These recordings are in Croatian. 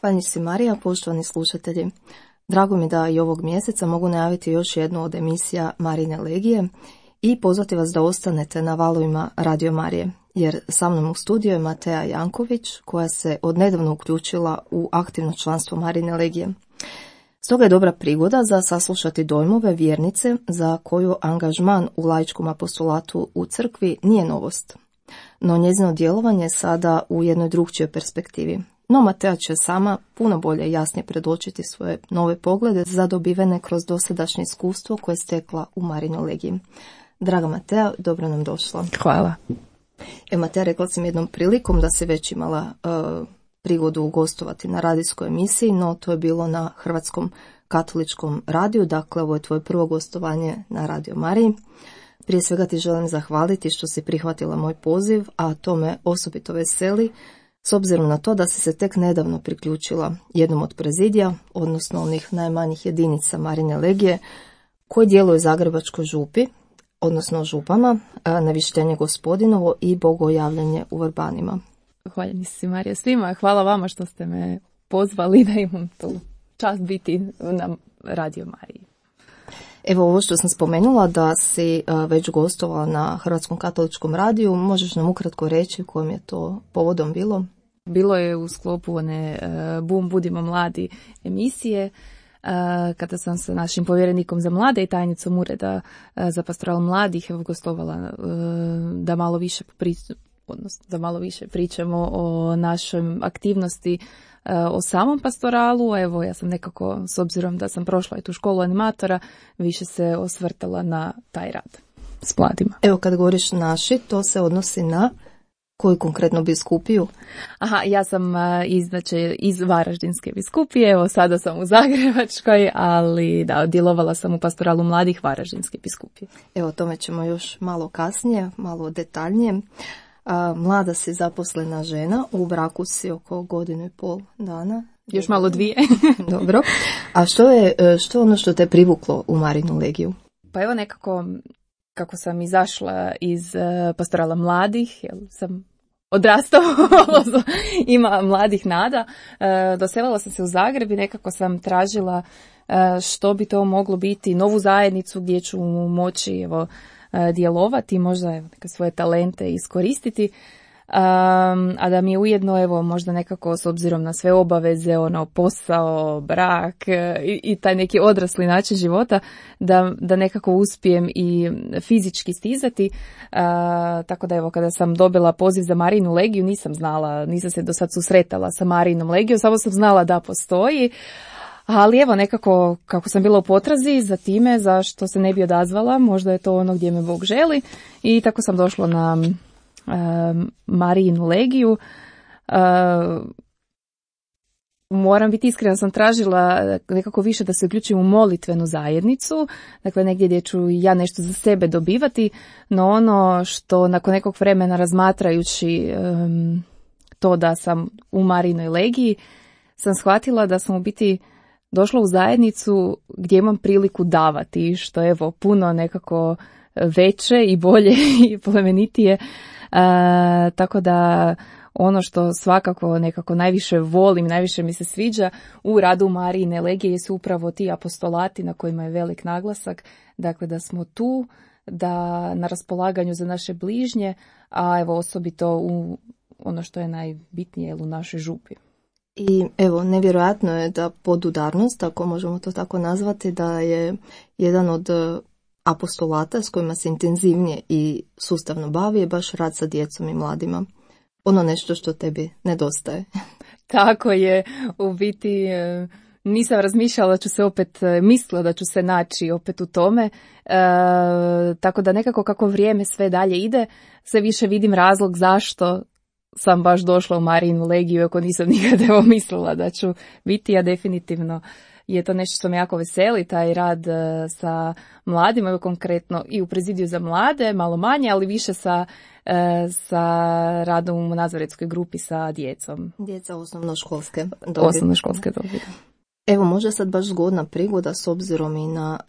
Hvala si Marija, poštovani slušatelji. Drago mi da i ovog mjeseca mogu najaviti još jednu od emisija Marine Legije i pozvati vas da ostanete na valovima Radio Marije, jer sa mnom u studiju je Matea Janković, koja se odnedavno uključila u aktivno članstvo Marine Legije. Stoga je dobra prigoda za saslušati dojmove vjernice za koju angažman u laičkom apostolatu u crkvi nije novost, no njezino djelovanje je sada u jednoj drugčijoj perspektivi. No Matea će sama puno bolje i jasnije predočiti svoje nove poglede zadobivene kroz dosadašnje iskustvo koje je stekla u Marinoj Legiji. Draga Matea, dobro nam došla. Hvala. Matea, rekla sam jednom prilikom da si već imala prigodu gostovati na radijskoj emisiji, no to je bilo na Hrvatskom katoličkom radiju, dakle ovo je tvoje prvo gostovanje na Radio Mariji. Prije svega ti želim zahvaliti što si prihvatila moj poziv, a to me osobito veseli, s obzirom na to da si se tek nedavno priključila jednom od prezidija, odnosno onih najmanjih jedinica Marine Legije, koji djeluju u Zagrebačkoj župi, odnosno župama, Navištenje Gospodinovo i Bogojavljanje u Vrbanima. Hvala si Marija svima, hvala vama što ste me pozvali da imam tu čast biti na Radio Mariji. Evo ovo što sam spomenula da si već gostovala na Hrvatskom katoličkom radiju, možeš nam ukratko reći kojim je to povodom bilo? Bilo je u sklopu one Bum, budimo mladi emisije, kada sam sa našim povjerenikom za mlade i tajnicom Ureda za pastoral mladih gostovala da malo više pričamo o našoj aktivnosti o samom pastoralu. Evo, ja sam nekako, s obzirom da sam prošla i tu školu animatora, više se osvrtala na taj rad s mladima. Evo, kad govoriš naši, to se odnosi na koju konkretno biskupiju? Aha, ja sam iz Varaždinske biskupije, evo sada sam u Zagrebačkoj, ali da, djelovala sam u pastoralu mladih Varaždinske biskupije. Evo, o tome ćemo još malo kasnije, malo detaljnije. Mlada si zaposlena žena, u braku si oko 1.5 dana. Još malo 2. Dobro. A što je ono što te privuklo u Marinu Legiju? Pa evo nekako, kako sam izašla iz pastorala mladih, jer sam odrastala, ima mladih nada, doselila sam se u Zagreb i nekako sam tražila što bi to moglo biti, novu zajednicu gdje ću moći djelovati, možda neke svoje talente iskoristiti, a da mi je ujedno možda nekako s obzirom na sve obaveze, posao, brak i taj neki odrasli način života, da nekako uspijem i fizički stizati. Tako da kada sam dobila poziv za Marinu Legiju, nisam se do sad susretala sa Marinom Legijom, samo sam znala da postoji. Ali nekako kako sam bila u potrazi za time, zašto se ne bi odazvala, možda je to ono gdje me Bog želi, i tako sam došla na Marinu Legiju. Moram biti iskrena, sam tražila nekako više da se uključim u molitvenu zajednicu, dakle negdje gdje ću ja nešto za sebe dobivati, no ono što nakon nekog vremena razmatrajući to da sam u Marinoj Legiji, sam shvatila da sam u biti došla u zajednicu gdje imam priliku davati, što je puno nekako veće i bolje i plemenitije. Tako da ono što svakako nekako najviše volim, najviše mi se sviđa u radu Marine Legije su upravo ti apostolati na kojima je velik naglasak. Dakle, da smo tu, da na raspolaganju za naše bližnje, a osobito u ono što je najbitnije u našoj župi. I nevjerojatno je da podudarnost, ako možemo to tako nazvati, da je jedan od apostolata s kojima se intenzivnije i sustavno bavi je baš rad sa djecom i mladima. Ono nešto što tebi nedostaje. Tako je, u biti nisam razmišljala da ću se mislila da ću se naći opet u tome, tako da nekako kako vrijeme sve dalje ide, sve više vidim razlog zašto sam baš došla u Marinu Legiju, ako nisam nikada mislila da ću biti, a definitivno je to nešto što me jako veseli, taj rad sa mladima, konkretno i u prezidiju za mlade, malo manje, ali više sa radom u nazaretskoj grupi sa djecom. Djeca osnovnoškolske dobi. Evo, možda sad baš zgodna prigoda s obzirom i na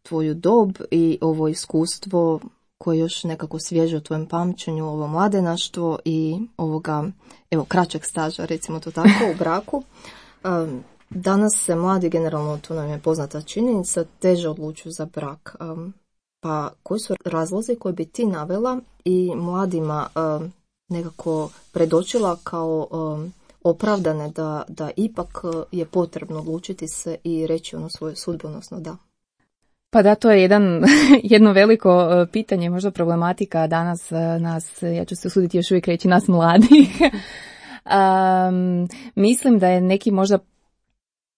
tvoju dob i ovo iskustvo koje još nekako svježe u tvojem pamćenju, ovo mladenaštvo i ovoga, evo, kraćeg staža, recimo to tako, u braku. Danas se mladi, generalno to nam je poznata činjenica, teže odlučuju za brak. Pa koji su razlozi koje bi ti navela i mladima nekako predočila kao opravdane da ipak je potrebno odlučiti se i reći ono svoje sudbonosno da? Pa da, to je jedno veliko pitanje, možda problematika danas nas, ja ću se usuditi još uvijek reći, nas mladih. Mislim da je neki možda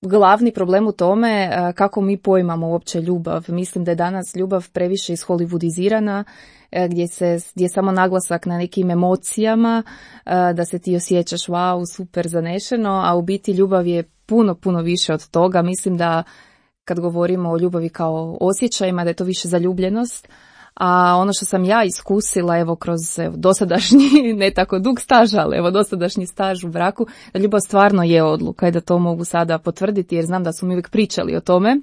glavni problem u tome kako mi poimamo uopće ljubav. Mislim da je danas ljubav previše isholivudizirana, gdje je samo naglasak na nekim emocijama, da se ti osjećaš wow, super, zanešeno, a u biti ljubav je puno više od toga. Mislim da kad govorimo o ljubavi kao osjećajima, da je to više zaljubljenost. A ono što sam ja iskusila, evo, kroz dosadašnji, ne tako dug staž, ali evo dosadašnji staž u braku, da ljubav stvarno je odluka i da to mogu sada potvrditi, jer znam da su mi uvijek pričali o tome,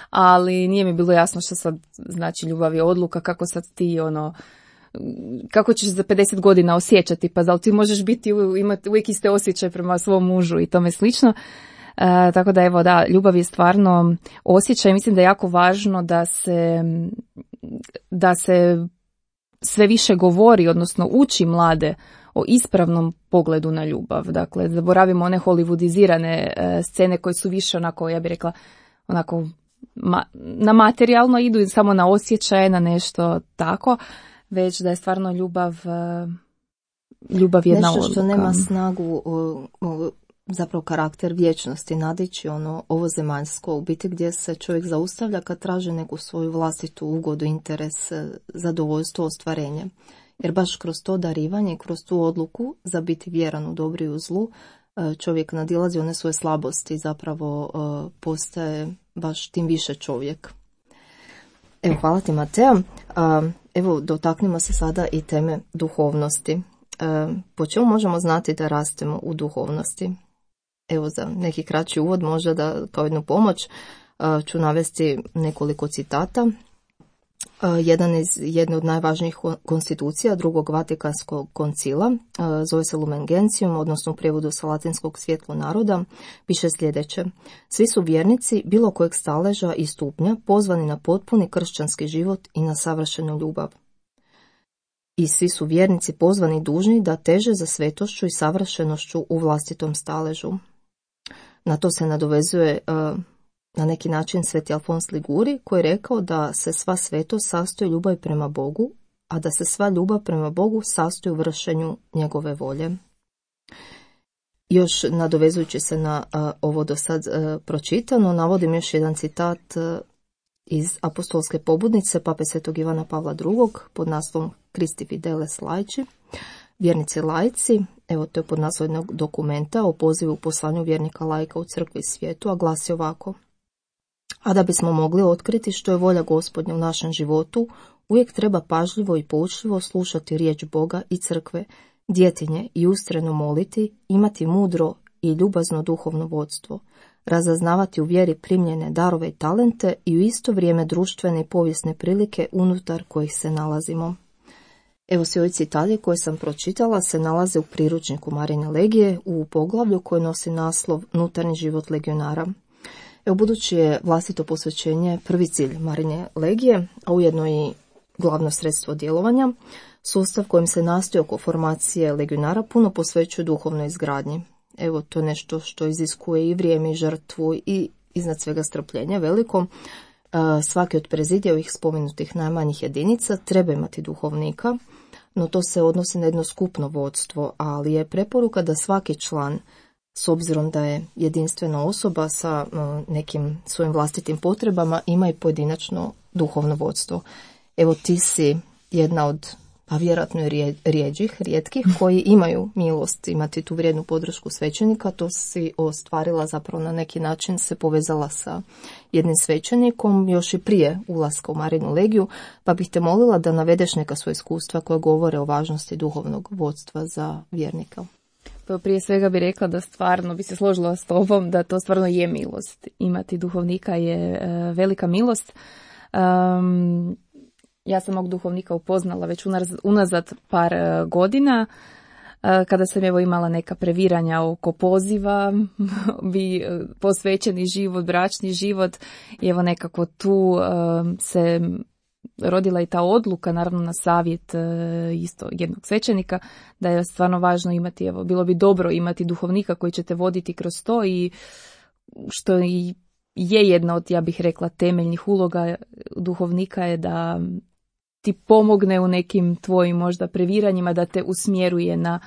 ali nije mi bilo jasno što sad znači ljubav je odluka, kako sad ti kako ćeš za 50 godina osjećati, pa da li ti možeš imati uvijek iste osjećaje prema svom mužu i tome slično. Tako da evo da, ljubav je stvarno osjećaj. Mislim da je jako važno da se sve više govori, odnosno uči mlade o ispravnom pogledu na ljubav. Dakle, zaboravimo one hollywoodizirane scene koje su više onako, ja bih rekla, onako na materijalno idu, samo na osjećaje, na nešto tako, već da je stvarno ljubav jedna odluka. Nešto što nema snagu, zapravo karakter vječnosti, nadići ovo zemaljsko, u biti gdje se čovjek zaustavlja kad traži neku svoju vlastitu ugodu, interes, zadovoljstvo, ostvarenje. Jer baš kroz to darivanje, kroz tu odluku za biti vjeran u dobru i u zlu, čovjek nadilazi one svoje slabosti, zapravo postaje baš tim više čovjek. Evo, hvala ti, Matea. Evo, dotaknimo se sada i teme duhovnosti. Po čemu možemo znati da rastemo u duhovnosti? Evo, za neki kraći uvod, možda da kao jednu pomoć ću navesti nekoliko citata. Jedan iz jedne od najvažnijih konstitucija drugog Vatikanskog koncila, zove se Lumen Gentium, odnosno u prijevodu sa latinskog svjetlo naroda, piše sljedeće: svi su vjernici bilo kojeg staleža i stupnja pozvani na potpuni kršćanski život i na savršenu ljubav. I svi su vjernici pozvani dužni da teže za svetošću i savršenošću u vlastitom staležu. Na to se nadovezuje na neki način sveti Alfons Liguri, koji je rekao da se sva svetost sastoji ljubavi prema Bogu, a da se sva ljubav prema Bogu sastoji u vršenju njegove volje. Još nadovezujući se na ovo do sad pročitano, navodim još jedan citat iz apostolske pobudnice Pape Svetog Ivana Pavla II. Pod naslovom Christi Fideles Laici, vjernici laici. Evo, to je pod naslovom jednog dokumenta o pozivu poslanju vjernika laika u crkvi i svijetu, a glasi ovako: a da bismo mogli otkriti što je volja Gospodnja u našem životu, uvijek treba pažljivo i poučljivo slušati riječ Boga i crkve, djetinje i ustrajno moliti, imati mudro i ljubazno duhovno vodstvo, razaznavati u vjeri primljene darove i talente i u isto vrijeme društvene i povijesne prilike unutar kojih se nalazimo. Evo, svi ovi citati koje sam pročitala se nalaze u priručniku Marine Legije u poglavlju koje nosi naslov Unutarnji život legionara. Evo, budući je vlastito posvećenje prvi cilj Marine Legije, a ujedno i glavno sredstvo djelovanja, sustav kojim se nastoji oko formacije legionara puno posvećuje duhovnoj izgradnji. Evo, to je nešto što iziskuje i vrijeme i žrtvu i iznad svega strpljenje veliko. Svaki od prezidijevih spomenutih najmanjih jedinica treba imati duhovnika, no to se odnosi na jedno skupno vodstvo, ali je preporuka da svaki član, s obzirom da je jedinstvena osoba sa nekim svojim vlastitim potrebama, ima i pojedinačno duhovno vodstvo. Evo, ti si jedna od, pa vjerojatno je rijetkih koji imaju milost imati tu vrijednu podršku svećenika. To si ostvarila, zapravo na neki način se povezala sa jednim svećenikom još i prije ulaska u Marinu Legiju, pa bih te molila da navedeš neka svoja iskustva koja govore o važnosti duhovnog vodstva za vjernika. Pa prije svega bih rekla da stvarno bi se složila s tobom da to stvarno je milost. Imati duhovnika je velika milost. ja sam mog duhovnika upoznala već unazad par godina, kada sam evo imala neka previranja oko poziva, posvećeni život, bračni život, i evo nekako tu se rodila i ta odluka, naravno na savjet isto jednog svećenika, da je stvarno važno imati, evo, bilo bi dobro imati duhovnika koji će te voditi kroz to, i što je jedna od, ja bih rekla, temeljnih uloga duhovnika je da ti pomogne u nekim tvojim možda previranjima, da te usmjeruje na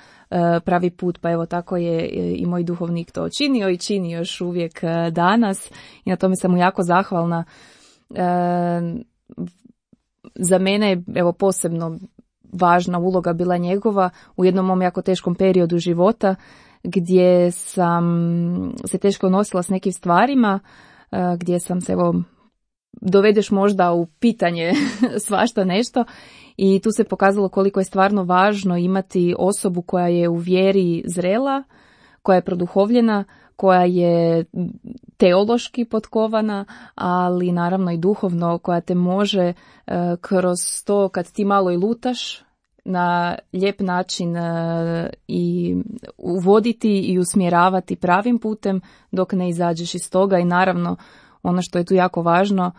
pravi put. Pa evo, tako je i moj duhovnik to činio i čini još uvijek danas, i na tome sam mu jako zahvalna. Za mene je evo posebno važna uloga bila njegova u jednom mom jako teškom periodu života, gdje sam se teško nosila s nekim stvarima, gdje sam se, evo, dovedeš možda u pitanje svašta nešto, i tu se pokazalo koliko je stvarno važno imati osobu koja je u vjeri zrela, koja je produhovljena, koja je teološki potkovana, ali naravno i duhovno, koja te može kroz to, kad ti malo i lutaš, na lijep način i uvoditi i usmjeravati pravim putem dok ne izađeš iz toga. I naravno, ono što je tu jako važno,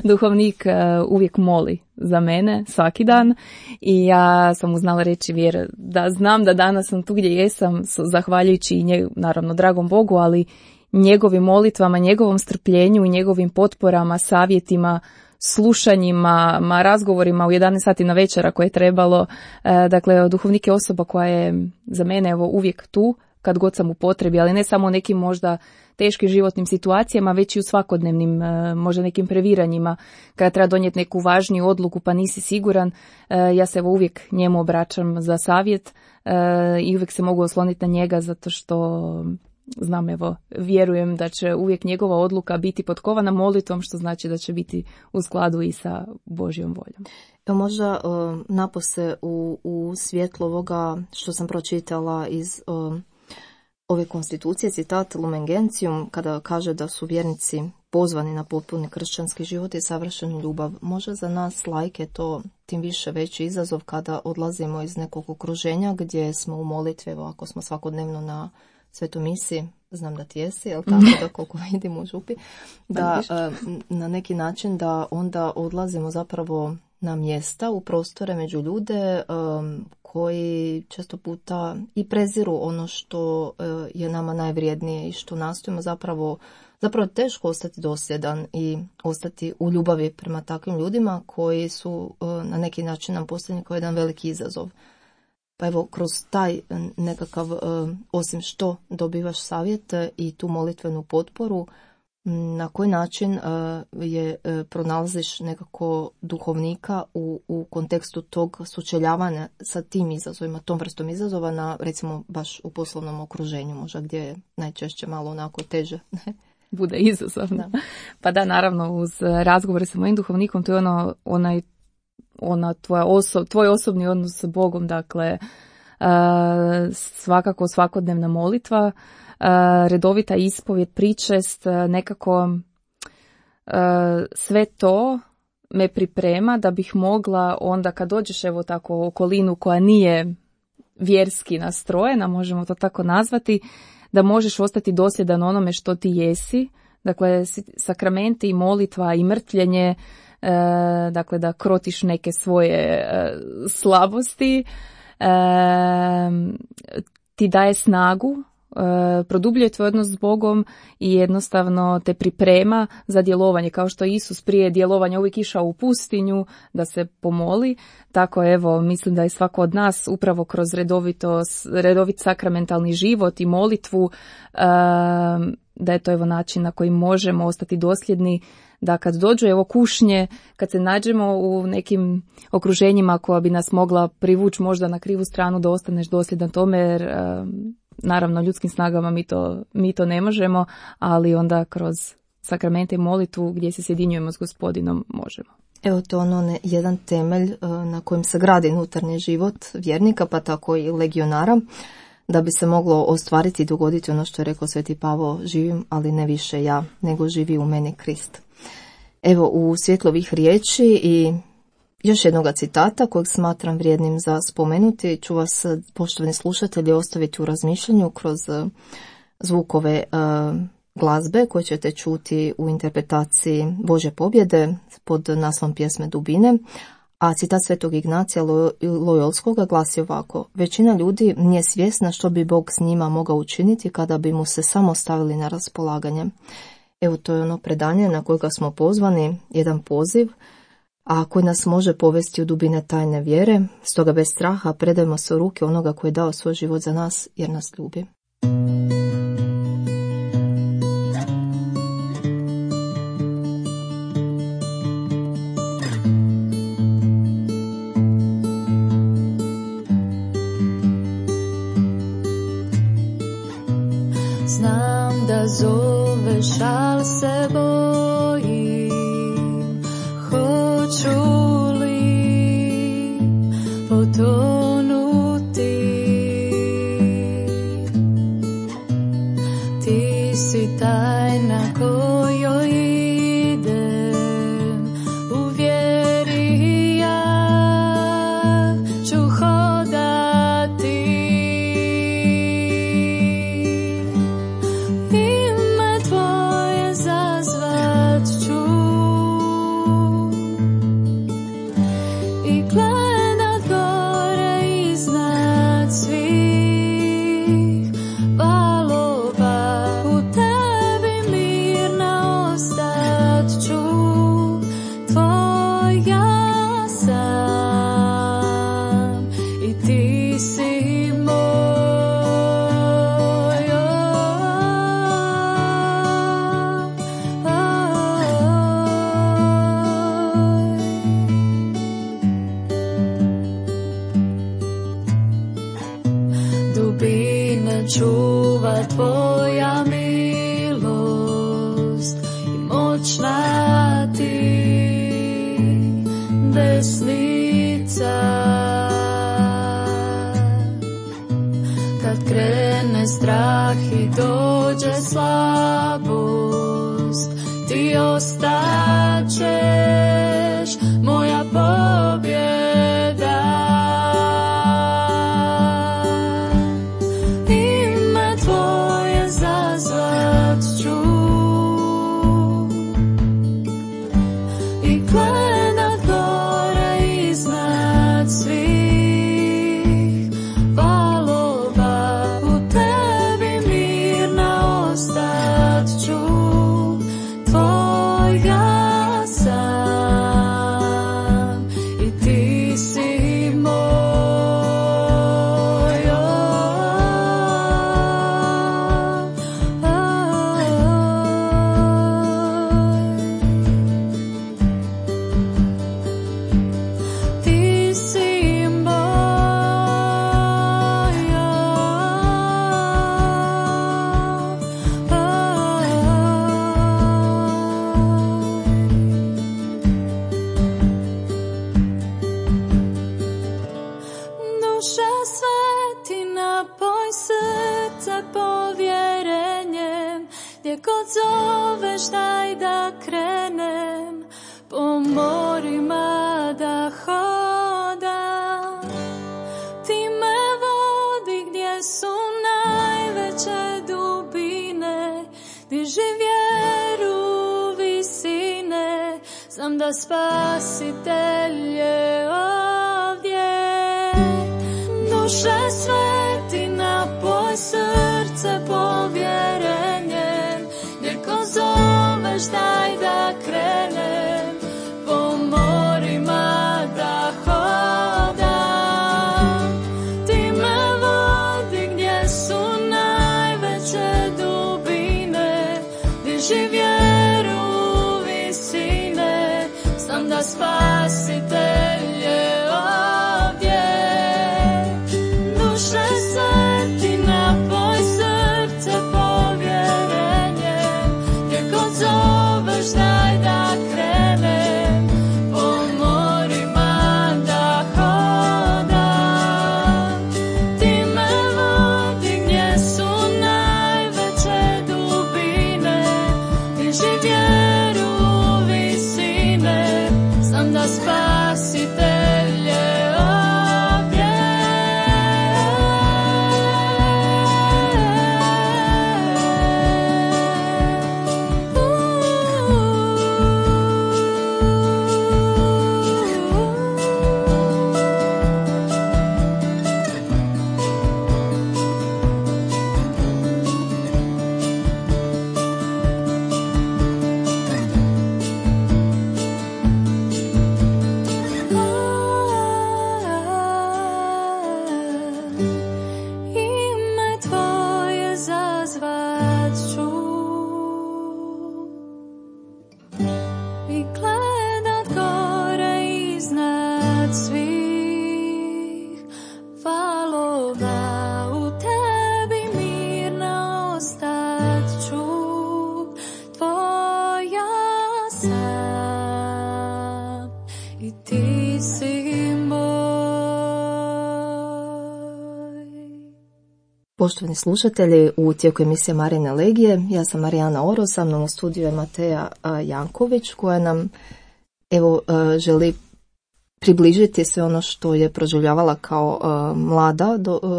duhovnik uvijek moli za mene svaki dan, i ja sam mu znala reći, Vjera, da znam da danas sam tu gdje jesam zahvaljujući i naravno dragom Bogu, ali njegovim molitvama, njegovom strpljenju i njegovim potporama, savjetima, slušanjima, razgovorima u 11 sati na večer ako je trebalo. Dakle, duhovnik je osoba koja je za mene evo uvijek tu kad god sam u potrebi, ali ne samo u nekim možda teškim životnim situacijama, već i u svakodnevnim, možda nekim previranjima, kada treba donijeti neku važniju odluku pa nisi siguran. Ja se evo uvijek njemu obraćam za savjet i uvijek se mogu osloniti na njega, zato što znam, evo, vjerujem da će uvijek njegova odluka biti potkovana molitvom, što znači da će biti u skladu i sa Božjom voljom. Evo, možda napose u svjetlu ovoga što sam pročitala iz ove konstitucije, citat Lumen Gentium, kada kaže da su vjernici pozvani na potpuni kršćanski život i savršenu ljubav. Može za nas lajke to tim više veći izazov kada odlazimo iz nekog okruženja gdje smo u molitvi, evo, ako smo svakodnevno na Svetoj misi, znam da ti jesi, jel tako, da koliko vidim u župi, da na neki način da onda odlazimo zapravo na mjesta, u prostore među ljude koji često puta i preziru ono što je nama najvrijednije i što nastojimo zapravo teško ostati dosljedan i ostati u ljubavi prema takvim ljudima koji su na neki način nam postavljeni kao jedan veliki izazov. Pa evo, kroz taj nekakav, osim što dobivaš savjet i tu molitvenu potporu, na koji način pronalaziš nekako duhovnika u kontekstu tog sučeljavanja sa tim izazovima, tom vrstom izazova, na recimo baš u poslovnom okruženju, možda gdje je najčešće malo onako teže. Bude izazovno. Da. Pa da, naravno, uz razgovore sa mojim duhovnikom, to je tvoj osobni odnos sa Bogom, dakle, svakako svakodnevna molitva, redovita ispovjed, pričest, nekako sve to me priprema da bih mogla onda kad dođeš evo tako u okolinu koja nije vjerski nastrojena, možemo to tako nazvati, da možeš ostati dosljedan onome što ti jesi, dakle sakramenti i molitva i mrtvljenje, dakle da krotiš neke svoje slabosti, ti daje snagu, produbljuje tvoj odnos s Bogom i jednostavno te priprema za djelovanje, kao što Isus prije djelovanja uvijek išao u pustinju da se pomoli. Tako evo, mislim da je svako od nas upravo kroz redovit sakramentalni život i molitvu, da je to evo način na koji možemo ostati dosljedni, da kad dođu evo kušnje, kad se nađemo u nekim okruženjima koja bi nas mogla privući možda na krivu stranu, da ostaneš dosljedan tome, jer naravno ljudskim snagama mi to ne možemo, ali onda kroz sakramente i molitvu gdje se sjedinjujemo s Gospodinom možemo. Evo, to je jedan temelj na kojem se gradi unutarnji život vjernika, pa tako i legionara, da bi se moglo ostvariti i dogoditi ono što je rekao Sveti Pavao: živim, ali ne više ja, nego živi u meni Krist. Evo, u svjetlu ovih riječi i još jednog citata kojeg smatram vrijednim za spomenuti, ću vas, poštovani slušatelji, ostaviti u razmišljanju kroz zvukove glazbe koje ćete čuti u interpretaciji Božje pobjede pod naslovom pjesme Dubine, a citat Svetog Ignacija Lojolskoga glasi ovako: većina ljudi nije svjesna što bi Bog s njima mogao učiniti kada bi mu se samo stavili na raspolaganje. Evo, to je ono predanje na kojega smo pozvani, jedan poziv, a koji nas može povesti u dubine tajne vjere. Stoga bez straha predajmo se u ruke onoga koji je dao svoj život za nas jer nas ljubi. Znam da zoveš, al se bojim, hoću li potonuti. Ti si tajna kojoj idem, u vjeri ja ću hodati. Ime tvoje zazvat ću i gledat gore iznad svih valova. U tebi mirna ostat ću, tvoja sam i ti si moj. Dubine čuva tvoja milost i moćna ti desnica. Kad krene strah i dođe slabost, ti ostaćeš moja pobjeda. Ime tvoje zazvat ću i gledat gore iznad svih valova. U tebi mirna ostat ću, tvoja sam i ti si moj. Ti si duša sveti, napoj srce povjerenjem. Gdje god zoveš, daj da krenem, po morima da hodam. Ti me vodi gdje su najveće dubine, diži vjeru visine. Znam da Spasitelj je ovdje. Duše sveti, napoj srce povjerenjem. Gdje god zoveš, daj da krenem, po morima da hodam. Ti me vodi gdje su najveće dubine, diži vjeru visine. Znam da Spasitelj je ovdje. Duše sveti, napoj srce povjerenjem. Gdje god zoveš, daj da krenem, po morima da hodam. Ti me vodi gdje su najveće dubine, diži vjeru visine. Poštovani slušatelji, u tijeku emisije Marine Legije, ja sam Marijana Oro, sa mnom u studiju je Mateja Janković, koja nam želi približiti sve ono što je proživljavala kao mlada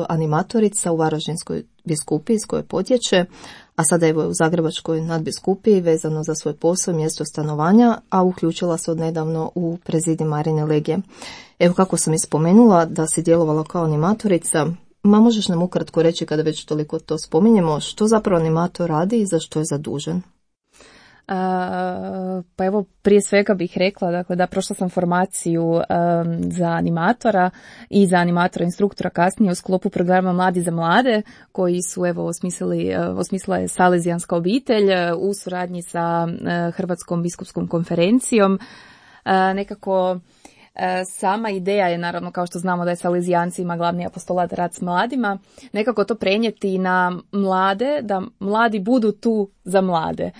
animatorica u Varaždinskoj biskupiji iz koje potječe, a sada je u Zagrebačkoj nadbiskupiji vezano za svoj posao, mjesto stanovanja, a uključila se odnedavno u prezidij Marine Legije. Evo, kako sam ispomenula da si djelovala kao animatorica, možeš nam ukratko reći, kada već toliko to spominjemo, što zapravo animator radi i za što je zadužen? Pa evo, prije svega bih rekla, dakle, da prošla sam formaciju za animatora i za animatora instruktora kasnije u sklopu programa Mladi za mlade, koji su osmislila je Salezijanska obitelj u suradnji sa Hrvatskom biskupskom konferencijom. Nekako sama ideja je, naravno, kao što znamo da je Salezijancima glavni apostolat rad s mladima, nekako to prenijeti na mlade, da mladi budu tu za mlade.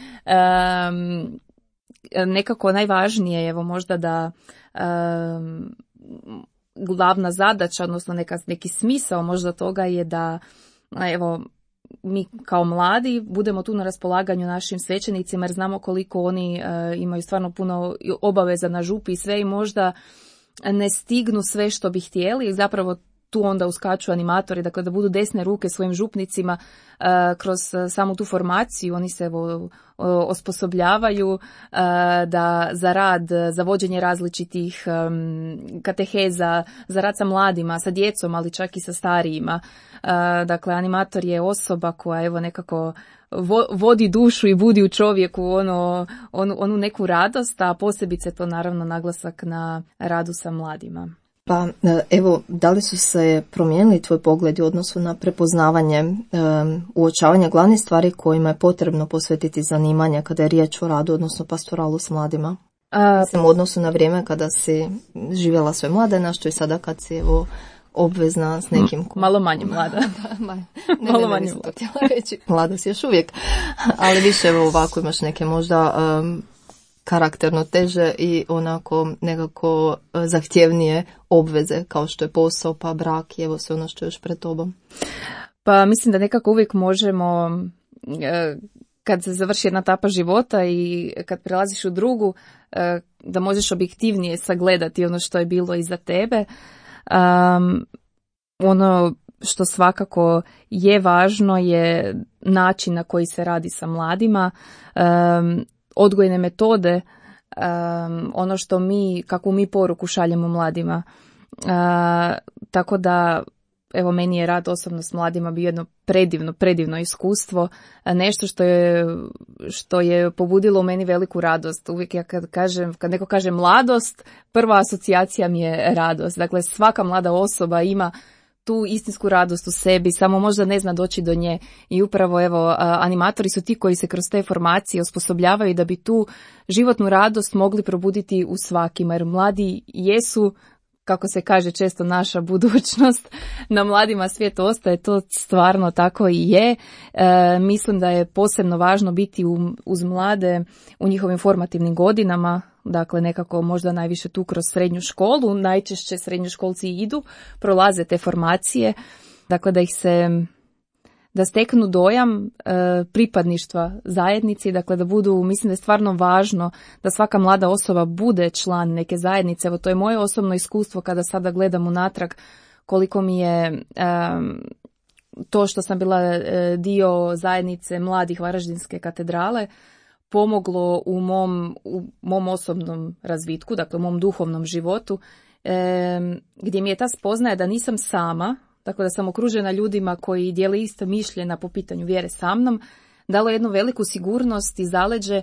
Nekako najvažnije je evo možda da glavna zadaća, odnosno neki smisao možda toga je da evo mi kao mladi budemo tu na raspolaganju našim svećenicima, jer znamo koliko oni imaju stvarno puno obaveza na župi i sve, i možda ne stignu sve što bi htjeli, i zapravo tu onda uskaču animatori, dakle da budu desne ruke svojim župnicima kroz samu tu formaciju. Oni se osposobljavaju da za rad, za vođenje različitih kateheza, za rad sa mladima, sa djecom, ali čak i sa starijima. Dakle, animator je osoba koja evo nekako vodi dušu i budi u čovjeku onu neku radost, a posebice to naravno naglasak na radu sa mladima. Pa evo, da li su se promijenili tvoj pogled u odnosu na prepoznavanje, uočavanje glavnih stvari kojima je potrebno posvetiti zanimanje kada je riječ o radu, odnosno pastoralu s mladima? Mislim, u odnosu na vrijeme kada si živjela svoje mladenaštvo i sada kad si obvezna s nekim... Malo manje mlada. Malo manje mlada. Htjela reći. Mlada si još uvijek, ali više ovako imaš neke možda karakterno teže i onako nekako zahtjevnije obveze, kao što je posao, pa brak i evo sve ono što je još pred tobom. Pa mislim da nekako uvijek možemo, kad se završi jedna etapa života i kad prelaziš u drugu, da možeš objektivnije sagledati ono što je bilo iza tebe. Ono što svakako je važno je način na koji se radi sa mladima, odgojne metode, ono što kakvu mi poruku šaljemo mladima. Tako da, evo, meni je rad osobno s mladima bio jedno predivno iskustvo, nešto što je pobudilo u meni veliku radost. Uvijek ja kad neko kaže mladost, prva asocijacija mi je radost. Dakle, svaka mlada osoba ima tu istinsku radost u sebi, samo možda ne zna doći do nje, i upravo evo animatori su ti koji se kroz te formacije osposobljavaju da bi tu životnu radost mogli probuditi u svakima, jer mladi jesu, kako se kaže često, naša budućnost. Na mladima svijet ostaje, to stvarno tako i je. Mislim da je posebno važno biti uz mlade u njihovim formativnim godinama, dakle nekako možda najviše tu kroz srednju školu. Najčešće srednjoškolci idu, prolaze te formacije, dakle da steknu dojam pripadništva zajednici, dakle da budu, mislim da je stvarno važno da svaka mlada osoba bude član neke zajednice. Evo, to je moje osobno iskustvo kada sada gledam unatrag, koliko mi je to što sam bila dio zajednice mladih Varaždinske katedrale pomoglo u mom osobnom razvitku, dakle u mom duhovnom životu, gdje mi je ta spoznaja da nisam sama, tako da sam okružena ljudima koji dijele isto mišljenja po pitanju vjere sa mnom, dalo jednu veliku sigurnost i zaleđe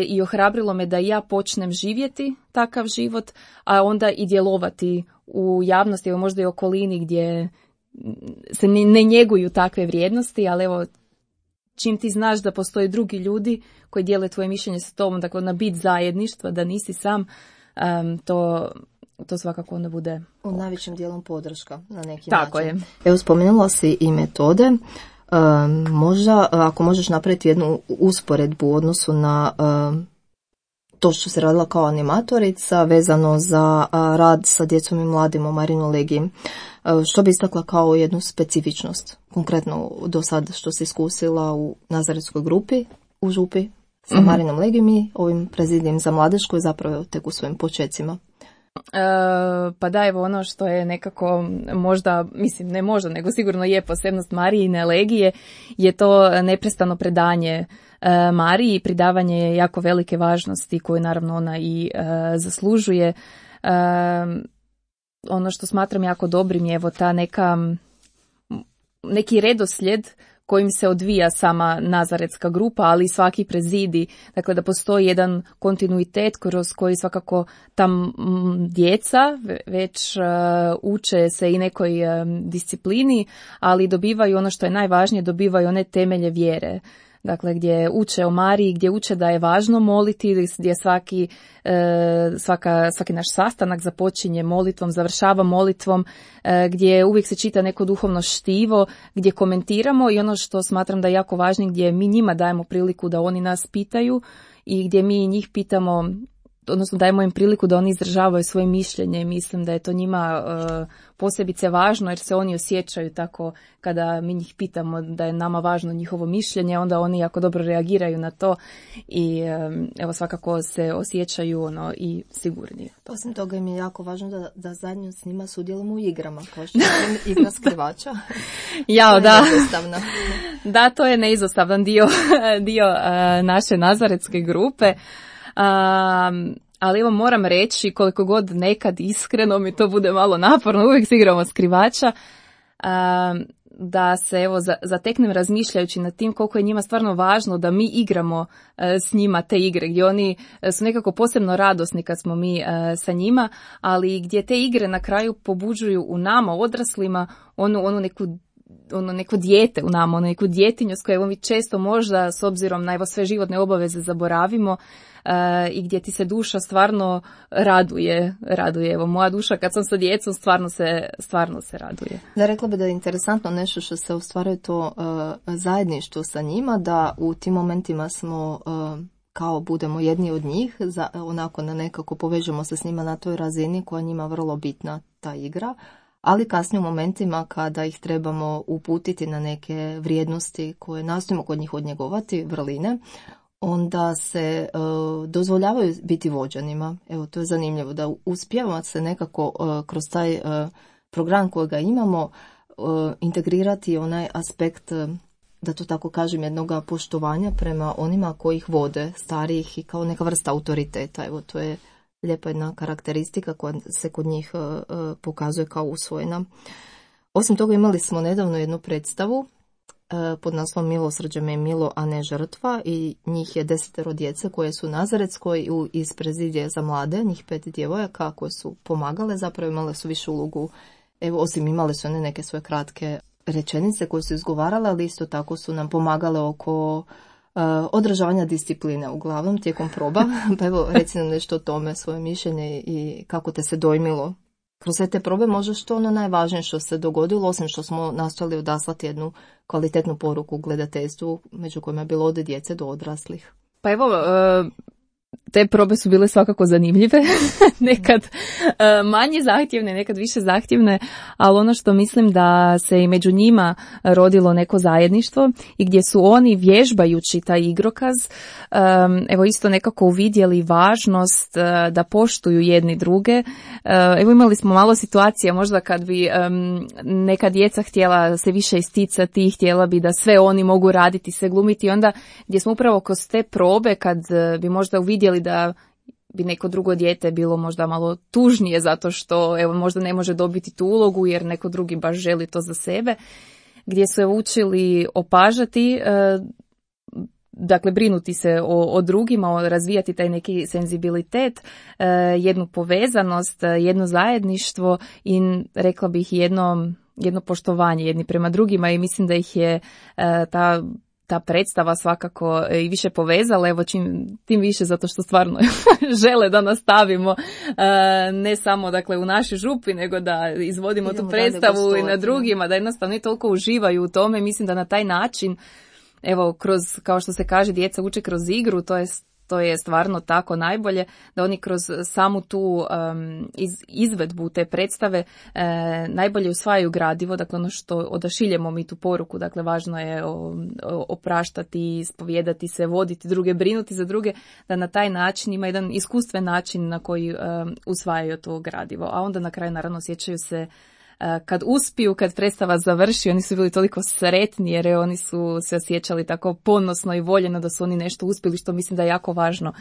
i ohrabrilo me da i ja počnem živjeti takav život, a onda i djelovati u javnosti, možda i okolini gdje se ne njeguju takve vrijednosti, ali evo, čim ti znaš da postoje drugi ljudi koji dijele tvoje mišljenje sa tobom, dakle na bit zajedništva, da nisi sam, to svakako onda bude... U najvećim dijelom podrška na neki Tako način. je. Evo, spomenula si i metode. Možda, ako možeš napraviti jednu usporedbu u odnosu na to što se radila kao animatorica vezano za rad sa djecom i mladim u Marinoj Legiji. Što bi istakla kao jednu specifičnost, konkretno do sad što si iskusila u Nazaretskoj grupi u Župi sa Marinom Legijom i ovim prezidijem za mladež koji zapravo tek u svojim počecima? Pa da, evo ono što je nekako možda, mislim ne možda, nego sigurno je posebnost Marijine Legije, je to neprestano predanje Mariji i pridavanje je jako velike važnosti koju naravno ona i zaslužuje. Ono što smatram jako dobrim je evo ta neki redoslijed kojim se odvija sama Nazaretska grupa, ali i svaki prezidi. Dakle, da postoji jedan kontinuitet kroz koji svakako tam djeca već uče se i nekoj disciplini, ali dobivaju ono što je najvažnije, dobivaju one temelje vjere. Dakle, gdje uče o Mariji, gdje uče da je važno moliti, gdje svaki naš sastanak započinje molitvom, završava molitvom, gdje uvijek se čita neko duhovno štivo, gdje komentiramo i ono što smatram da je jako važno, gdje mi njima dajemo priliku da oni nas pitaju i gdje mi njih pitamo, odnosno dajemo im priliku da oni izražavaju svoje mišljenje i mislim da je to njima posebice važno jer se oni osjećaju tako kada mi njih pitamo da je nama važno njihovo mišljenje, onda oni jako dobro reagiraju na to i evo svakako se osjećaju i sigurnije. Osim toga mi je jako važno da zajedno s njima sudjelujemo u igrama, kao što je igra skrivača. Jao, da. Da, to je neizostavan dio naše Nazaretske grupe. Ali evo moram reći, koliko god nekad iskreno mi to bude malo naporno, uvijek se igramo skrivača, da se evo zateknem razmišljajući nad tim koliko je njima stvarno važno da mi igramo s njima te igre, gdje oni su nekako posebno radosni kad smo mi sa njima, ali gdje te igre na kraju pobuđuju u nama, odraslima, onu neko dijete u nama, neku djetinju s kojom mi često možda s obzirom na evo sve životne obaveze zaboravimo i gdje ti se duša stvarno raduje. Evo moja duša kad sam sa djecom stvarno se raduje. Da, rekla bi da je interesantno nešto što se ostvaruje to zajedništvo sa njima, da u tim momentima smo kao budemo jedni od njih, onako na nekako povežemo se s njima na toj razini koja je njima vrlo bitna ta igra. Ali kasnije u momentima kada ih trebamo uputiti na neke vrijednosti koje nastojimo kod njih odnjegovati, vrline, onda se dozvoljavaju biti vođanima. Evo, to je zanimljivo, da uspijevamo se nekako kroz taj program kojega imamo integrirati onaj aspekt, da to tako kažem, jednog poštovanja prema onima koji ih vode, starijih i kao neka vrsta autoriteta. Evo, to je lijepa jedna karakteristika koja se kod njih pokazuje kao usvojena. Osim toga imali smo nedavno jednu predstavu pod naslovom Milosrđe me milo, a ne žrtva, i njih je 10 djece koje su u Nazaretskoj iz prezidije za mlade, njih 5 djevojaka koje su pomagale, zapravo imale su više ulogu, evo osim imale su one neke svoje kratke rečenice koje su izgovarale, ali isto tako su nam pomagale oko održavanja discipline uglavnom tijekom proba. Pa evo, reci nam nešto o tome, svoje mišljenje i kako te se dojmilo kroz sve te probe, možda što ono najvažnije što se dogodilo, osim što smo nastojali odaslati jednu kvalitetnu poruku gledateljstvu, među kojima je bilo od djece do odraslih. Pa evo, te probe su bile svakako zanimljive, nekad manje zahtjevne, nekad više zahtjevne, ali ono što mislim da se i među njima rodilo neko zajedništvo i gdje su oni vježbajući taj igrokaz, evo isto nekako uvidjeli važnost da poštuju jedni druge. Evo imali smo malo situacija možda kad bi neka djeca htjela se više isticati i htjela bi da sve oni mogu raditi, sve glumiti, onda gdje smo upravo kroz te probe kad bi možda uvidjeli da bi neko drugo dijete bilo možda malo tužnije zato što evo možda ne može dobiti tu ulogu jer neko drugi baš želi to za sebe, gdje su učili opažati, dakle brinuti se o drugima, razvijati taj neki senzibilitet, jednu povezanost, jedno zajedništvo i rekla bih jedno poštovanje jedni prema drugima i mislim da ih je ta predstava svakako i više povezala, evo tim više zato što stvarno žele da nastavimo ne samo dakle u našoj župi, nego da izvodimo tu predstavu i na drugima, da jednostavno i toliko uživaju u tome. Mislim da na taj način, evo kroz, kao što se kaže, djeca uče kroz igru, to je što je stvarno tako najbolje, da oni kroz samu tu izvedbu te predstave najbolje usvajaju gradivo, dakle ono što odašiljemo mi tu poruku, dakle važno je opraštati, ispovijedati se, voditi druge, brinuti za druge, da na taj način ima jedan iskustven način na koji usvajaju to gradivo, a onda na kraju naravno osjećaju se kad uspiju, kad predstava završi, oni su bili toliko sretni jer oni su se osjećali tako ponosno i voljeno da su oni nešto uspjeli, što mislim da je jako važno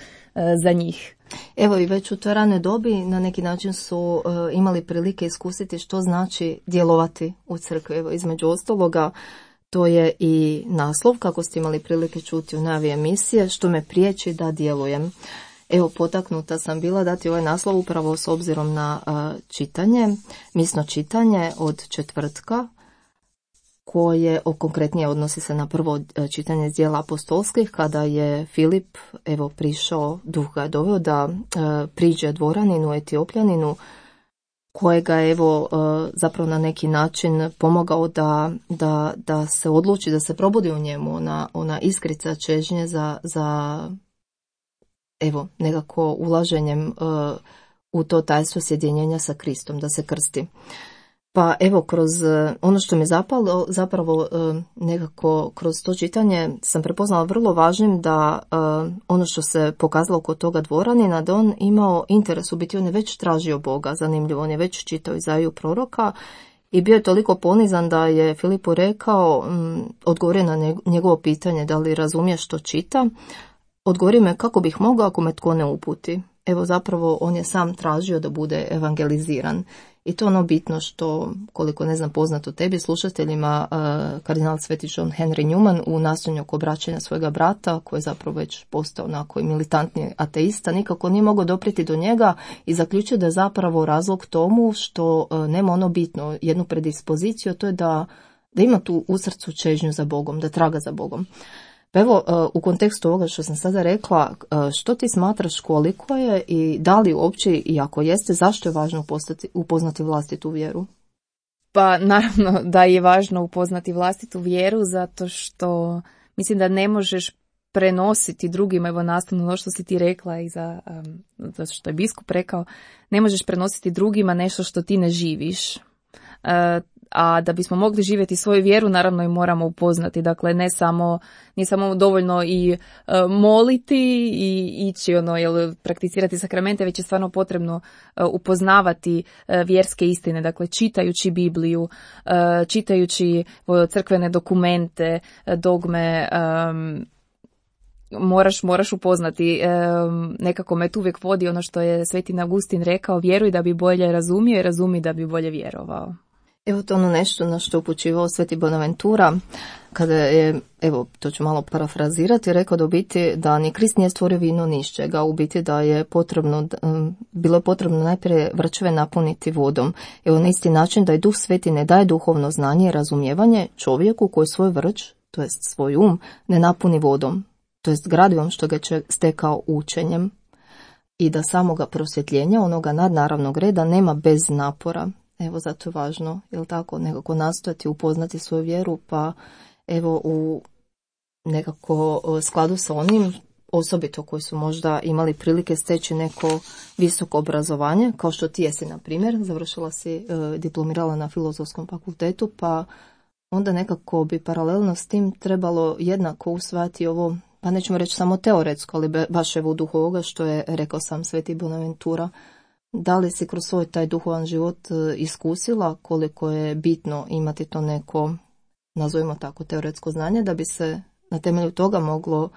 za njih. Evo i već u toj ranoj dobi na neki način su imali prilike iskusiti što znači djelovati u crkvi. Evo između ostaloga to je i naslov, kako ste imali prilike čuti u najavi emisije, što me priječi da djelujem. Evo, potaknuta sam bila dati ovaj naslov upravo s obzirom na čitanje, misno čitanje od četvrtka, koje konkretnije odnosi se na prvo čitanje iz djela apostolskih, kada je Filip prišao, duh ga je doveo da priđe dvoraninu, Etiopljaninu, kojega je zapravo na neki način pomogao da se odluči, da se probudi u njemu ona iskrica čežnje za nekako ulaženjem u to tajstvo sjedinjenja sa Kristom, da se krsti. Pa kroz ono što mi zapalo, zapravo nekako kroz to čitanje sam prepoznala vrlo važnim da ono što se pokazalo kod toga dvoranina, da on imao interes, u biti on je već tražio Boga, zanimljivo, on je već čitao Izaiju proroka i bio je toliko ponizan da je Filipu rekao, odgovorio na njegovo pitanje da li razumije što čita, odgovorio me kako bih mogao ako me tko ne uputi. Zapravo on je sam tražio da bude evangeliziran. I to ono bitno što, koliko ne znam poznato tebi, slušateljima, kardinal Sveti John Henry Newman u nastojanju oko obraćanja svojega brata, koji je zapravo već postao onako i militantni ateista, nikako nije mogao doprijeti do njega i zaključio da je zapravo razlog tomu što nema ono bitno, jednu predispoziciju, to je da ima tu u srcu čežnju za Bogom, da traga za Bogom. Pa u kontekstu ovoga što sam sada rekla, što ti smatraš koliko je i da li uopće, i ako jeste, zašto je važno upoznati vlastitu vjeru? Pa naravno da je važno upoznati vlastitu vjeru, zato što mislim da ne možeš prenositi drugima, nastavno ono što si ti rekla i za što je biskup rekao, ne možeš prenositi drugima nešto što ti ne živiš. A da bismo mogli živjeti svoju vjeru, naravno i moramo upoznati. Dakle, nije samo dovoljno i moliti i ići prakticirati sakramente, već je stvarno potrebno upoznavati vjerske istine. Dakle, čitajući Bibliju, čitajući crkvene dokumente, dogme, moraš upoznati. Nekako me tu uvijek vodi ono što je Sveti Augustin rekao, vjeruj da bi bolje razumio i razumi da bi bolje vjerovao. To ono nešto na što upućivao Sveti Bonaventura, kada je, to ću malo parafrazirati, rekao da u biti da ni Krist nije stvorio vino ni iz čega, u biti da je bilo je potrebno najprije vrčeve napuniti vodom. Na isti način da i Duh Sveti ne daje duhovno znanje i razumijevanje čovjeku koji svoj vrč, to jest svoj ne napuni vodom, to jest gradivom što ga će stekao učenjem, i da samoga prosvjetljenja, onoga nadnaravnog reda, nema bez napora. Zato je važno, nekako nastojati upoznati svoju vjeru, pa u nekako skladu sa onim, osobito koji su možda imali prilike steći neko visoko obrazovanje, kao što ti jesi, na primjer, završila si, diplomirala na Filozofskom fakultetu, pa onda nekako bi paralelno s tim trebalo jednako usvajati ovo, pa nećemo reći samo teoretsko, ali baš u duhu ovoga što je rekao sam Sveti Bonaventura. Da li si kroz svoj taj duhovan život iskusila koliko je bitno imati to neko, nazovimo tako, teoretsko znanje, da bi se na temelju toga moglo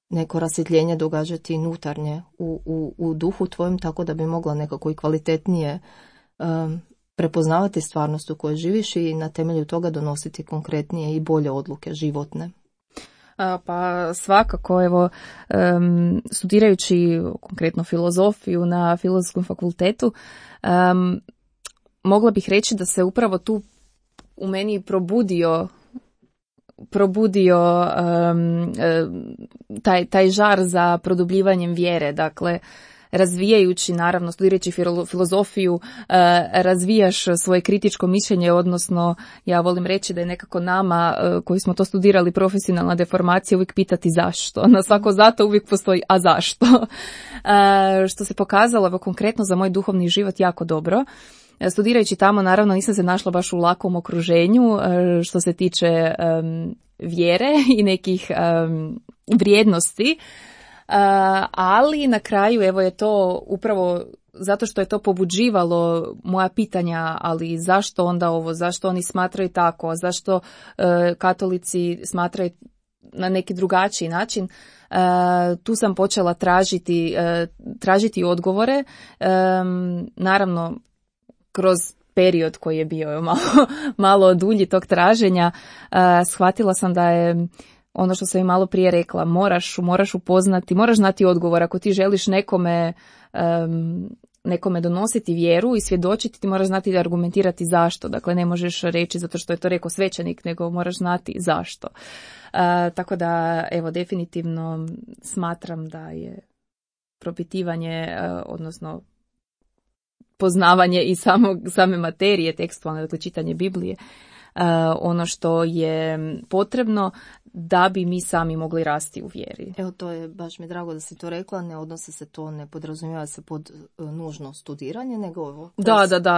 neko rasvjetljenje događati i unutarnje u duhu tvojim, tako da bi mogla nekako i kvalitetnije prepoznavati stvarnost u kojoj živiš i na temelju toga donositi konkretnije i bolje odluke životne. Pa svakako, studirajući konkretno filozofiju na Filozofskom fakultetu, mogla bih reći da se upravo tu u meni probudio taj žar za produbljivanjem vjere. Dakle, razvijajući, naravno, studirajući filozofiju, razvijaš svoje kritičko mišljenje, odnosno ja volim reći da je nekako nama koji smo to studirali profesionalna deformacija uvijek pitati zašto. Na svako zato uvijek postoji a zašto. Što se pokazalo evo, konkretno za moj duhovni život jako dobro. Studirajući tamo, naravno, nisam se našla baš u lakom okruženju što se tiče vjere i nekih vrijednosti, ali na kraju evo je to upravo zato što je to pobuđivalo moja pitanja, ali zašto onda ovo, zašto oni smatraju tako, zašto katolici smatraju na neki drugačiji način. Tu sam počela tražiti odgovore, naravno kroz period koji je bio malo dulji tog traženja, shvatila sam da je ono što sam i malo prije rekla, moraš upoznati, moraš znati odgovor. Ako ti želiš nekome donositi vjeru i svjedočiti, ti moraš znati da argumentirati zašto. Dakle, ne možeš reći zato što je to rekao svećenik, nego moraš znati zašto. Tako da, evo, definitivno smatram da je propitivanje, odnosno poznavanje i same materije tekstualne, dakle čitanje Biblije, ono što je potrebno da bi mi sami mogli rasti u vjeri. Evo, to je baš mi drago da si to rekla, ne odnosi se to, ne podrazumijeva se pod nužno studiranje, nego ovo.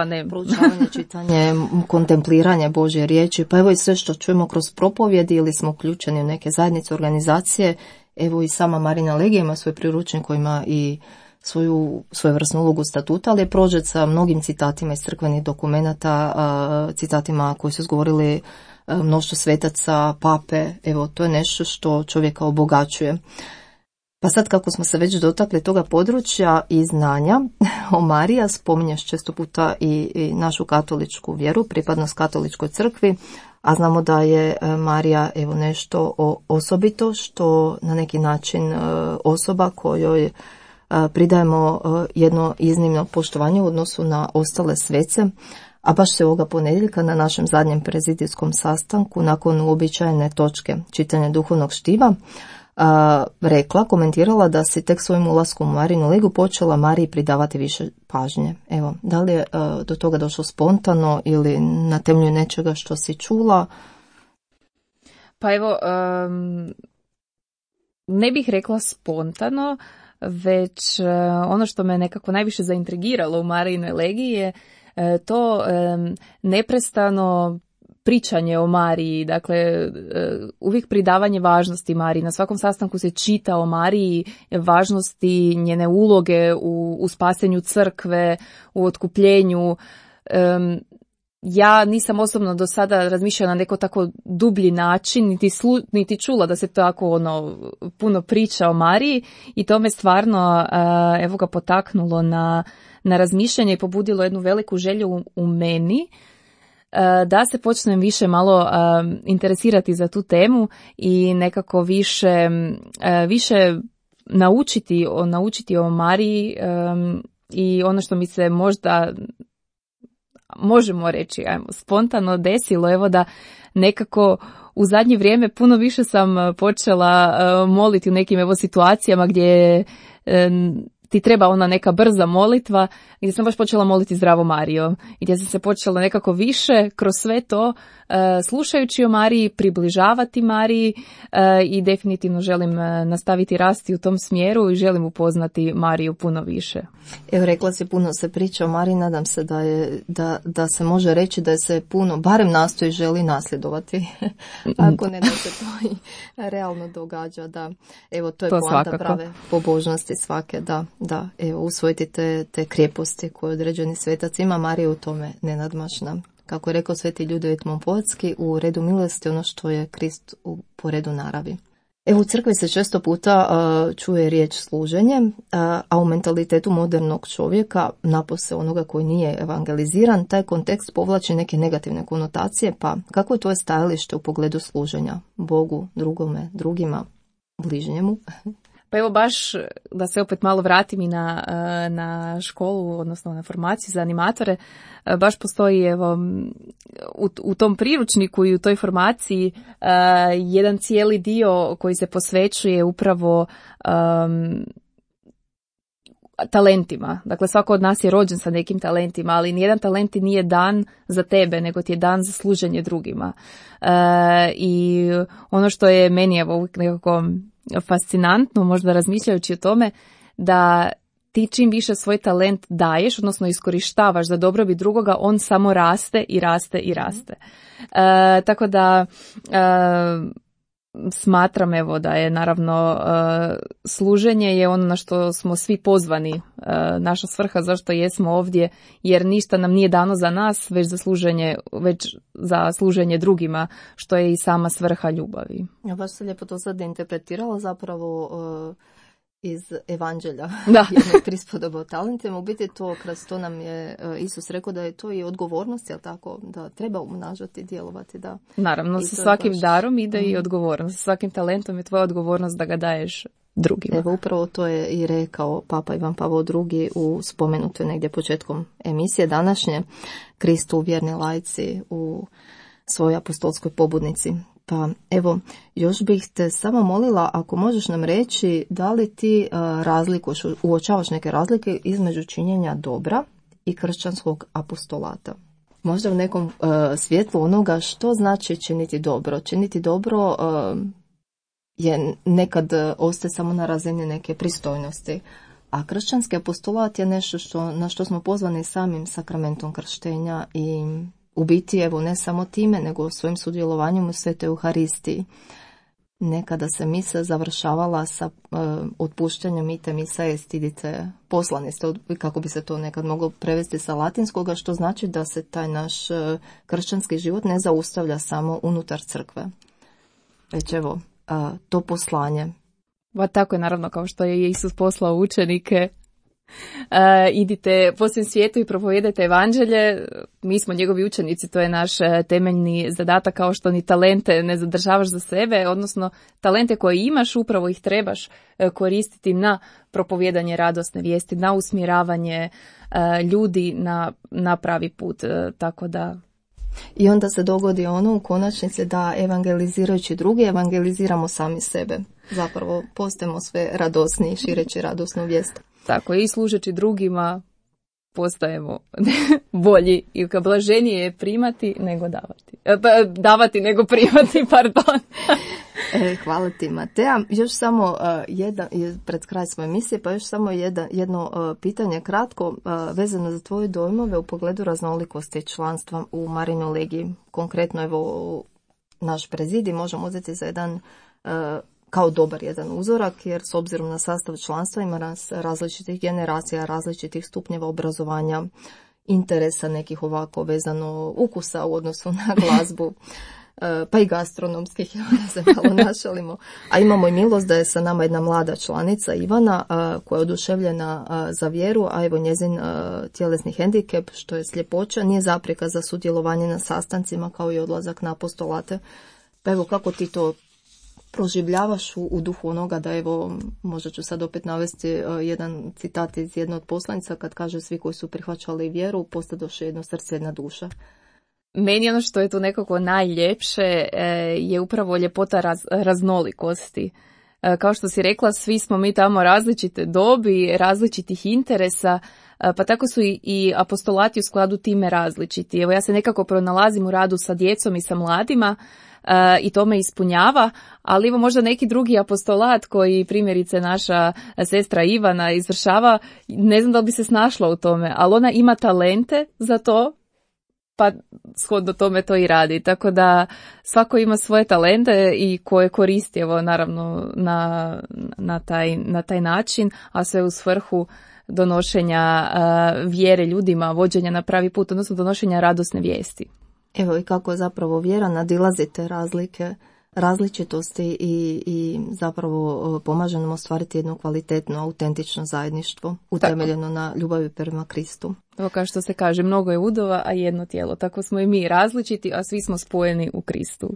Ne. Proučavanje, čitanje, kontempliranje Božje riječi, pa evo i sve što čujemo kroz propovjedi ili smo uključeni u neke zajednice, organizacije, evo i sama Marina Legija ima svoj priručnik koji ima i svojevrsnu ulogu statuta, ali je prožet sa mnogim citatima iz crkvenih dokumenata, citatima koji su izgovorili mnoštvo svetaca, pape. Evo, to je nešto što čovjeka obogaćuje. Pa sad, kako smo se već dotakli toga područja i znanja o Mariji, spominješ često puta i našu katoličku vjeru, pripadnost katoličkoj crkvi, a znamo da je Marija evo nešto osobito, što na neki način osoba kojoj pridajemo jedno iznimno poštovanje u odnosu na ostale svece, a baš se ovoga ponedjeljka na našem zadnjem prezidijskom sastanku, nakon uobičajene točke čitanja duhovnog štiva, komentirala da si tek svojim ulaskom u Marinu Legu počela Mariji pridavati više pažnje. Evo, da li je do toga došlo spontano ili na temelju nečega što si čula? Pa evo, ne bih rekla spontano, već ono što me nekako najviše zaintrigiralo u Marijinoj legiji je to neprestano pričanje o Mariji, dakle uvijek pridavanje važnosti Mariji. Na svakom sastanku se čita o Mariji, važnosti njene uloge u spasenju crkve, u otkupljenju. Ja nisam osobno do sada razmišljala na neko tako dublji način, niti čula da se tako puno priča o Mariji, i to me stvarno evo ga potaknulo na razmišljanje i pobudilo jednu veliku želju u meni da se počnem više malo interesirati za tu temu i nekako više naučiti o Mariji, i ono što mi se možemo reći, spontano desilo, evo da nekako u zadnje vrijeme puno više sam počela moliti u nekim situacijama gdje ti treba neka brza molitva, gdje sam baš počela moliti Zdravo Marijo, i gdje sam se počela nekako više kroz sve to, slušajući o Mariji, približavati Mariji, i definitivno želim nastaviti rasti u tom smjeru i želim upoznati Mariju puno više. Evo, rekla si, puno se priča o Mariji, nadam se da se može reći da se puno, barem nastoji, želi nasljedovati, ako ne da se to i realno događa, da. Evo, to je poanta prave pobožnosti svake, da, evo, usvojiti te krijeposti koje određeni svetac ima. Marija u tome nenadmašna. Kako je rekao sveti Ljudevit Montfortski, u redu milosti ono što je Krist po redu naravi. Evo, u crkvi se često puta čuje riječ služenje, a u mentalitetu modernog čovjeka, napose onoga koji nije evangeliziran, taj kontekst povlači neke negativne konotacije, pa kako je tvoje stajalište u pogledu služenja Bogu, drugima, bližnjemu? Pa evo, baš da se opet malo vratim i na školu, odnosno na formaciju za animatore, baš postoji u tom priručniku i u toj formaciji jedan cijeli dio koji se posvećuje upravo talentima. Dakle, svako od nas je rođen sa nekim talentima, ali nijedan talent ti nije dan za tebe, nego ti je dan za služenje drugima. I ono što je meni evo uvijek nekako fascinantno, možda razmišljajući o tome, da ti čim više svoj talent daješ, odnosno iskorištavaš za dobrobit drugoga, on samo raste i raste i raste. Tako da smatram evo da je naravno služenje je ono na što smo svi pozvani, naša svrha zašto jesmo ovdje, jer ništa nam nije dano za nas, već za služenje drugima, što je i sama svrha ljubavi. Ja baš se lijepo to sad interpretirala zapravo iz evanđelja, jednog prispodoba o talentima. U biti to, kroz to nam je Isus rekao da je to i odgovornost, jel tako, da treba umnažati, djelovati. Da. Naravno, sa svakim darom ide i odgovornost. Sa svakim talentom je tvoja odgovornost da ga daješ drugima. Evo, upravo to je i rekao Papa Ivan Pavao II u spomenutoj negdje početkom emisije današnje, Kristu vjerni laici u svojoj apostolskoj pobudnici. Pa evo, još bih te samo molila ako možeš nam reći da li ti uočavaš neke razlike između činjenja dobra i kršćanskog apostolata. Možda u nekom svjetlu onoga što znači činiti dobro. Činiti dobro je nekad ostaje samo na razini neke pristojnosti, a kršćanski apostolat je nešto na što smo pozvani samim sakramentom krštenja i u biti, evo, ne samo time, nego svojim sudjelovanjem u Svetoj Euharistiji. Nekada se misa završavala sa otpuštanjem ite misa est, idite, poslani ste, kako bi se to nekad moglo prevesti sa latinskoga, što znači da se taj naš kršćanski život ne zaustavlja samo unutar crkve. Već evo, to poslanje. Pa tako je, naravno, kao što je Isus poslao učenike, idite po svem svijetu i propovijedajte evanđelje, mi smo njegovi učenici, to je naš temeljni zadatak, kao što ni talente ne zadržavaš za sebe, odnosno talente koje imaš upravo ih trebaš koristiti na propovijedanje radosne vijesti, na usmjeravanje ljudi na pravi put, tako da... I onda se dogodi ono u konačnici da evangelizirajući drugi, evangeliziramo sami sebe. Zapravo postajemo sve radosniji, šireći radosnu vijest. Tako, i služeći drugima postajemo bolji i blaženije je primati nego davati. Davati nego primati, pardon. Hvala ti, Matea. Još samo pred kraj svoje emisije, pa još samo jedno pitanje kratko vezano za tvoje dojmove u pogledu raznolikosti članstva u Marinoj legiji. Konkretno, evo, naš prezidij možemo uzeti za jedan kao dobar jedan uzorak, jer s obzirom na sastav članstva ima različitih generacija, različitih stupnjeva obrazovanja, interesa nekih ovako vezano ukusa u odnosu na glazbu, pa i gastronomskih, da se malo našalimo. A imamo i milost da je sa nama jedna mlada članica, Ivana, koja je oduševljena za vjeru, a evo njezin tjelesni hendikep, što je sljepoća, nije zapreka za sudjelovanje na sastancima kao i odlazak na apostolate. Pa evo, kako ti to proživljavaš u duhu onoga da, evo, možda ću sad opet navesti jedan citat iz jedne od poslanica kad kaže svi koji su prihvaćali vjeru postadoše jedno srce, jedna duša. Meni ono što je tu nekako najljepše je upravo ljepota raznolikosti. Kao što si rekla, svi smo mi tamo različite dobi, različitih interesa, pa tako su i apostolati u skladu time različiti. Evo, ja se nekako pronalazim u radu sa djecom i sa mladima, i to me ispunjava, ali evo možda neki drugi apostolat koji primjerice naša sestra Ivana izvršava, ne znam da li bi se snašla u tome, ali ona ima talente za to, pa shodno tome to i radi. Tako da svako ima svoje talente i koje koristi, evo, naravno na taj način, a sve u svrhu donošenja vjere ljudima, vođenja na pravi put, odnosno donošenja radosne vijesti. Evo i kako zapravo vjera nadilazi te razlike, različitosti i zapravo pomaže nam ostvariti jedno kvalitetno, autentično zajedništvo utemeljeno na ljubavi prema Kristu. Evo, kao što se kaže, mnogo je udova, a jedno tijelo. Tako smo i mi različiti, a svi smo spojeni u Kristu.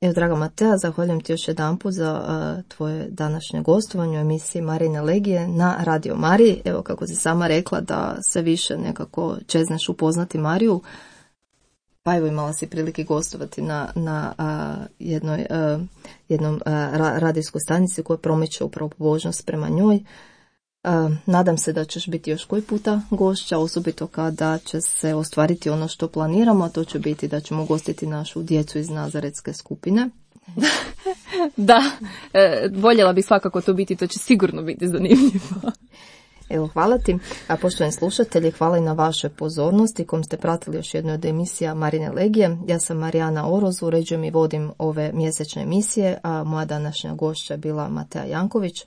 Evo, draga Matea, zahvaljujem ti još jedanput za tvoje današnje gostovanje u emisiji Marine Legije na Radio Mariji. Evo, kako si sama rekla da sve više nekako čezneš upoznati Mariju, pa evo imala si prilike gostovati na jednom radijskoj stanici koja promiče upravo pobožnost prema njoj. Nadam se da ćeš biti još koji puta gošća, osobito kada će se ostvariti ono što planiramo, a to će biti da ćemo ugostiti našu djecu iz Nazaretske skupine. Da, voljela bih svakako to biti, to će sigurno biti zanimljivo. Evo, hvala ti. A poštovani slušatelji, hvala i na vašoj pozornosti kojom ste pratili još jednu od emisija Marine Legije. Ja sam Marijana Oroz, uređujem i vodim ove mjesečne emisije, a moja današnja gošća je bila Matea Janković.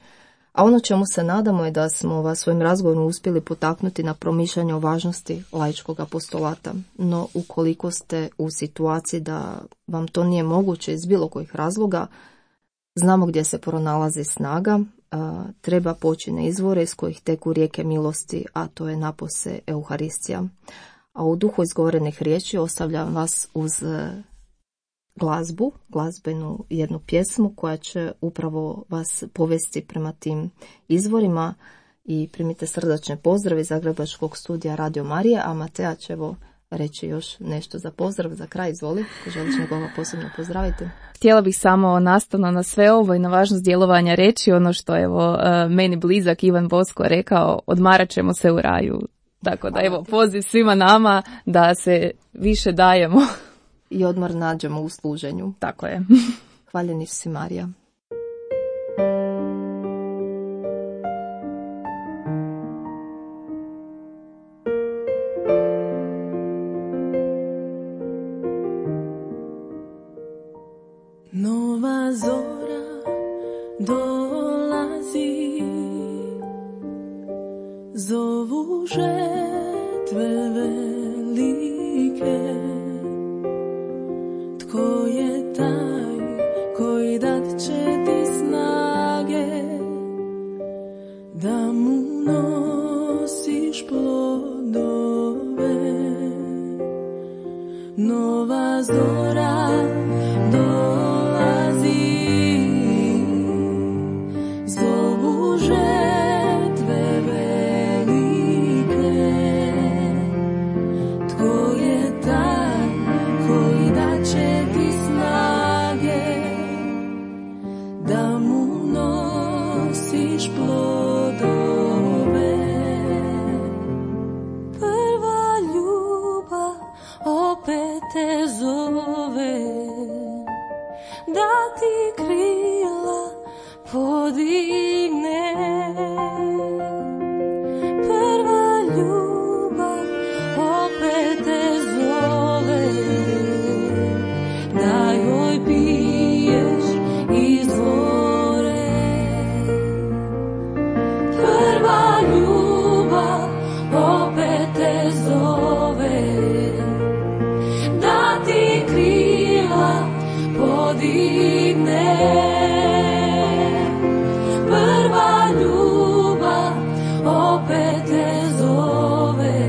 A ono čemu se nadamo je da smo vas svojim razgovorom uspjeli potaknuti na promišljanje o važnosti laičkog apostolata. No, ukoliko ste u situaciji da vam to nije moguće iz bilo kojih razloga, znamo gdje se pronalazi snaga, treba poći na izvore iz kojih teku rijeke milosti, a to je napose Euharistija. A u duhu izgovorenih riječi ostavljam vas uz glazbenu jednu pjesmu koja će upravo vas povesti prema tim izvorima i primite srdačne pozdrave iz Zagrebačkog studija Radio Marije, a Matea će reći još nešto za pozdrav, za kraj, izvoli, želiš nekoga posebno pozdraviti? Htjela bih samo nastavno na sve ovo i na važnost djelovanja reći ono što meni blizak Ivan Bosko rekao, odmarat ćemo se u raju. Tako da poziv svima nama da se više dajemo. I odmor nađemo u služenju. Tako je. Hvaljeni si Marija. Nova zora dolazi, zovu žetve velike. Tko je taj koji dat će ti snage da mu nosiš plodove? Nova zora dolazi, zovu žetve velike. Tko je taj koji dat će ti snage da mu nosiš plodove? Prva ljubav opet te zove, da ti krila podigne. Prva ljubav opet te zove, da joj piješ izvore. Prva ljubav opet te zove, da ti krila podigne. Prva ljubav opet te zove,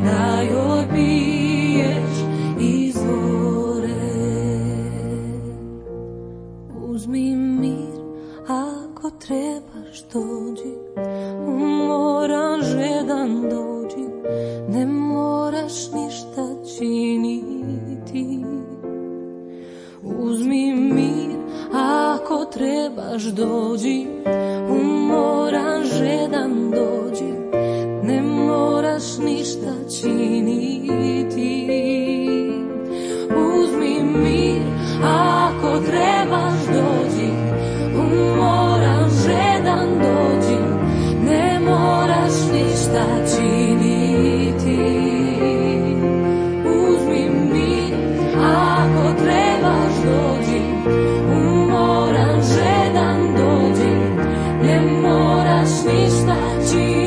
da joj piješ izvore. Uzmi mir ako trebaš dođi, umoran žedan dođi, ne moraš ništa činiti. Uzmi mir ako trebaš dođi, umoran žedan dođi, ne moraš ništa činiti. Uzmi mir ako trebaš dođi, umoran žedan dođi, ne moraš ništa činiti. Uzmi mir ako trebaš dođi, umoran žedan dođi, ne moraš ništa činiti.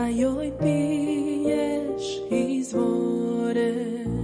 joj piješ izvore.